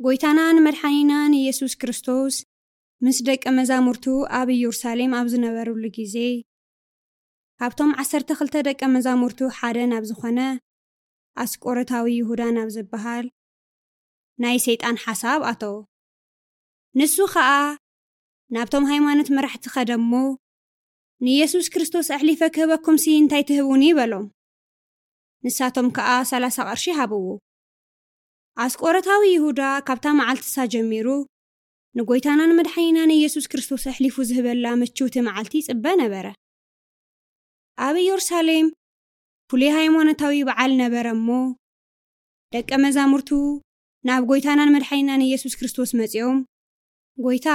ጎይታናን መድሓኒናን ኢየሱስ ክርስቶስ ምስ ደቀ መዛሙርቱ ኣብ ኢየሩሳሌም ኣብ ዝነበሩሉ ግዜ፣ ካብቶም ዓሰርተ ክልተ ደቀ መዛሙርቱ ሓደ ናብ ዝኾነ ኣስቆሮታዊ ይሁዳ ናብ ዝበሃል ናይ ሰይጣን ሓሳብ ኣተወ። ንሱ ኸኣ ናብቶም ሃይማኖት መራሕቲ ኸደ እሞ፣ "ንየሱስ ክርስቶስ ኣሕሊፈ ክህበኩምሲ እንታይ ትህቡኒ?" በሎም። ንሳቶም ከኣ ሰላሳ ቕርሺ ሃብዎ። ኣስቆሮታዊ ይሁዳ ካብታ መዓልትሳ ጀሚሩ ንጎይታናን መድሓኒናን ኢየሱስ ክርስቶስ ኣሕሊፉ ዝህበላ ምችውቲ መዓልቲ ይጽበ ነበረ። ኣብ ኢየሩሳሌም ፍሉይ ሃይማኖታዊ በዓል ነበረ እሞ፣ ደቀ መዛሙርቱ ናብ ጎይታናን መድሓኒናን ኢየሱስ ክርስቶስ መጺኦም፣ "ጎይታ፣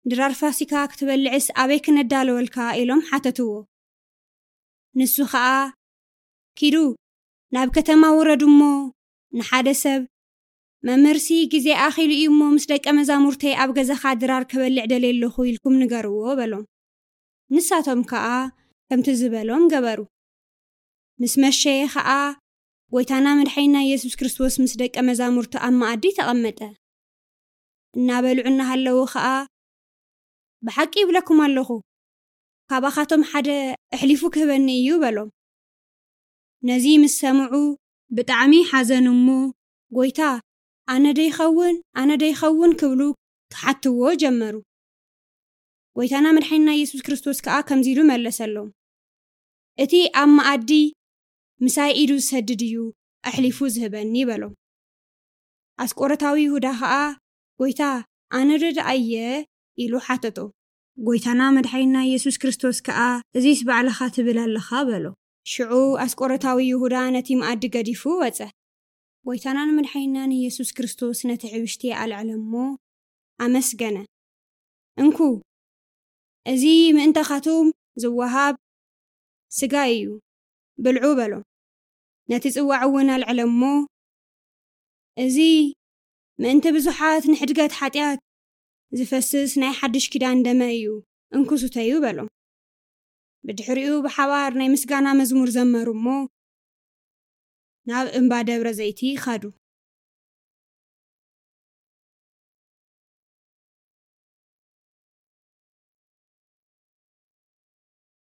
ድራር ፋሲካ ክትበልዕስ ኣበይ ክነዳለወልካ?" ኢሎም ሓተትዎ። ንሱ ኸኣ፣ "ኪዱ ናብ ከተማ ውረዱ እሞ ንሓደ ሰብ፣ 'መምህርሲ፣ ግዜ ኣኺሉ እዩ እሞ ምስ ደቀ መዛሙርተይ ኣብ ገዛኻ ድራር ክበልዕ ደልየ ኣለኹ' ኢልኩም ንገርዎ" በሎም። ንሳቶም ከኣ ከምቲ ዝበሎም ገበሩ። ምስ መሸየ ኸኣ፣ ጎይታና መድሓኒና ኢየሱስ ክርስቶስ ምስ ደቀ መዛሙርቱ ኣብ መኣዲ ተቐመጠ። እናበልዑ እናሃለዉ ኸኣ፣ "ብሓቂ ይብለኩም ኣለኹ፣ ካባኻቶም ሓደ ኣሕሊፉ ክህበኒ እዩ" በሎም። ነዚ ምስ ሰምዑ ብጣዕሚ ሓዘኑ እሞ፣ "ጎይታ፣ ኣነ ዶ ይኸውን? ኣነ ዶ ይኸውን?" ክብሉ ክሓትዎ ጀመሩ። ጎይታና መድሓኒና ኢየሱስ ክርስቶስ ከኣ ከምዚ ኢሉ መለሰሎም፣ "እቲ ኣብ መኣዲ ምሳይ ኢዱ ዝሰድድ እዩ ኣሕሊፉ ዝህበኒ" በሎም። ኣስቆሮታዊ ይሁዳ ኸኣ፣ "ጎይታ፣ ኣነ ዶ ደኣ እየ?" ኢሉ ሓተቶ። ጎይታና መድሓኒና ኢየሱስ ክርስቶስ ከኣ፣ "እዚስ ባዕልኻ ትብል ኣለኻ" በሎ። ሽዑ ኣስቆሮታዊ ይሁዳ ነቲ መኣዲ ገዲፉ ወጸ። ጎይታናን መድሓኒናን ኢየሱስ ክርስቶስ ነቲ ሕብሽቲ ኣልዐለ እሞ ኣመስገነ። "እንኩ፣ እዚ ምእንታኻትኩም ዝወሃብ ስጋይ እዩ፣ ብልዑ" በሎም። ነቲ ጽዋዕ እውን ኣልዐለ እሞ፣ "እዚ ምእንቲ ብዙሓት ንሕድገት ሓጢኣት ዝፈስስ ናይ ሓድሽ ኪዳን ደመ እዩ፣ እንኩ ስተዩ" በሎም። ብድሕሪኡ ብሓባር ናይ ምስጋና መዝሙር ዘመሩ እሞ፣ ናብ እምባ ደብረ ዘይቲ ኸዱ።